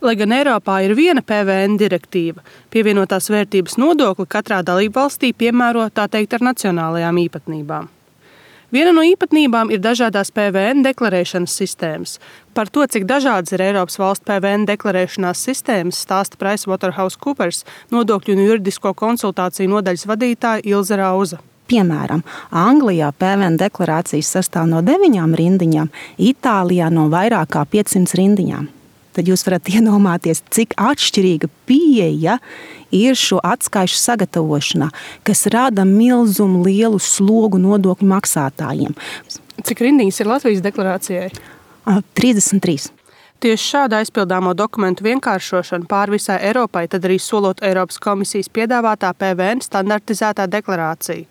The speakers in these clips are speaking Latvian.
Lai gan Eiropā ir viena PVN direktīva, pievienotās vērtības nodokli katrā dalībvalstī piemēro tā teikt ar nacionālajām īpatnībām. Viena no īpatnībām ir dažādās PVN deklarēšanas sistēmas. Par to, cik dažādas ir Eiropas valstu PVN deklarēšanās sistēmas, stāsta PricewaterhouseCoopers nodokļu un juridisko konsultāciju nodaļas vadītāja Ilze Rauza. Piemēram, Anglijā PVN deklarācijas sastāv no 9 rindiņām, Itālijā no vairāk kā 500 rindiņām. Tad jūs varat iedomāties, cik atšķirīga pieeja ir šo atskaišu sagatavošanā, kas rada milzumu lielu slogu nodokļu maksātājiem. Cik rindiņas ir Latvijas deklarācijai? 33. Tieši šāda aizpildāmo dokumentu vienkāršošana pāri visai Eiropai, tad arī solot Eiropas komisijas piedāvātā PVN standartizētā deklarācija.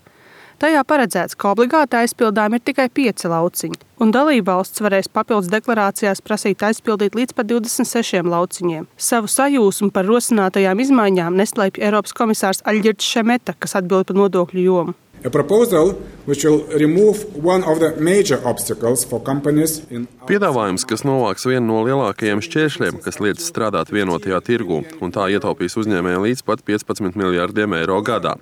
Tajā paredzēts, ka obligāti aizpildām ir tikai 5 lauciņi, un dalībvalsts varēs papildus deklarācijās prasīt aizpildīt līdz pat 26 lauciņiem. Savu sajūsmu par rosinātajām izmaiņām neslēpj Eiropas komisārs Aļģirds Šemeta, kas atbild par nodokļu jomu. A proposal which will remove one of the major obstacles for companies in Piedāvājums, kas novāks vienu no lielākajiem šķēršļiem, kas liedz strādāt vienotajā tirgū, un tā ietaupīs uzņēmējiem līdz pat 15 miljārdiem eiro gadā.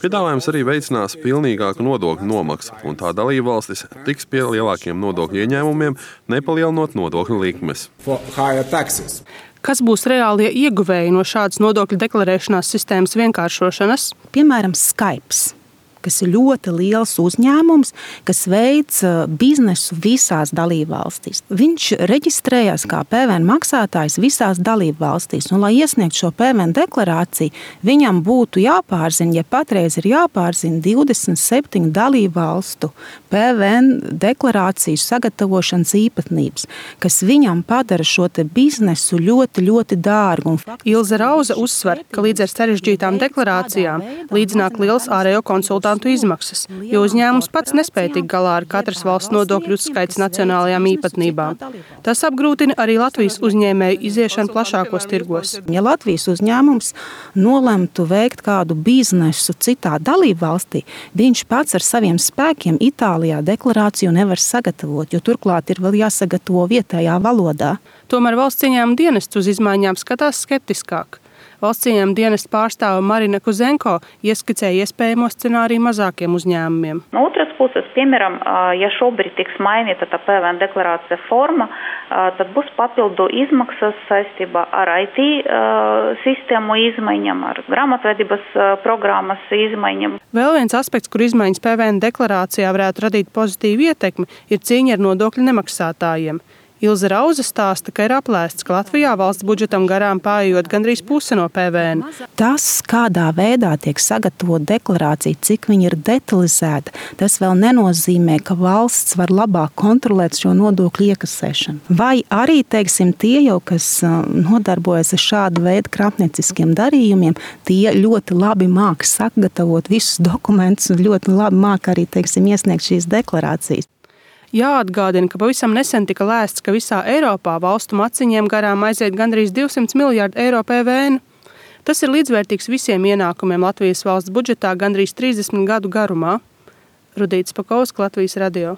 Piedāvājums arī veicinās pilnīgāku nodokļu nomaksu, un tā dalībvalstis tiks pie lielākiem nodokļu ieņēmumiem, nepalielinot nodokļu likmes. for higher taxes. Kas būs reālie ieguvēji no šādas nodokļu deklarēšanās sistēmas vienkāršošanas? Piemēram, Skype, kas ir ļoti liels uzņēmums, kas veic biznesu visās dalībvalstīs. Viņš reģistrējās kā PVN maksātājs visās dalībvalstīs, un lai iesniegtu šo PVN deklarāciju, viņam būtu jāpārzina, ja patreiz ir jāpārzina 27 dalībvalstu PVN deklarāciju sagatavošanas īpatnības, kas viņam padara šo te biznesu ļoti, ļoti dārgu. Ilze Rauza uzsver, ka līdz ar sarežģītām deklarācijām līdzināk liels ārējo konsultāciju izmaksas, jo uzņēmums pats nespēja tikt galā ar katras valsts nodokļu uzskaits nacionālajām īpatnībām. Tas apgrūtina arī Latvijas uzņēmēju iziešanu plašākos tirgos. Ja Latvijas uzņēmums nolemtu veikt kādu biznesu citā dalībvalstī, viņš pats ar saviem spēkiem Itālijā deklarāciju nevar sagatavot, jo turklāt ir vēl jāsagatavo vietējā valodā. Tomēr valsts ieņēmuma dienests uz izmaiņām skatās skeptiskāk. Valsts ieņēmuma dienesta pārstāve Marina Kuzenko ieskicēja iespējamo scenāriju mazākiem uzņēmumiem. No otras puses, piemēram, ja šobrīd tiks mainīta tā PVN deklarācija forma, tad būs papildu izmaksas saistībā ar IT sistēmu izmaiņām, ar grāmatvedības programmas izmaiņām. Vēl viens aspekts, kur izmaiņas PVN deklarācijā varētu radīt pozitīvu ietekmi, ir cīņa ar nodokļu nemaksātājiem. Ilze Rauza stāsta, ka ir aplēsts, ka Latvijā valsts budžetam garām paejot gandrīz puse no PVN. Tas, kādā veidā tiek sagatavota deklarācija, cik viņa ir detalizēta, tas vēl nenozīmē, ka valsts var labāk kontrolēt šo nodokļu iekasēšanu. Vai arī, teiksim, tie jau, kas nodarbojas ar šādu veidu krāpnieciskiem darījumiem, tie ļoti labi māk sagatavot visus dokumentus un ļoti labi māk arī, teiksim, iesniegt šīs deklarācijas. Jāatgādina, ka pavisam nesen tika lēsts, ka visā Eiropā valstu maciņiem garām aiziet gandrīz 200 miljārdu eiro PVN. Tas ir līdzvērtīgs visiem ienākumiem Latvijas valsts budžetā gandrīz 30 gadu garumā. Rudīts Pakausks, Latvijas radio.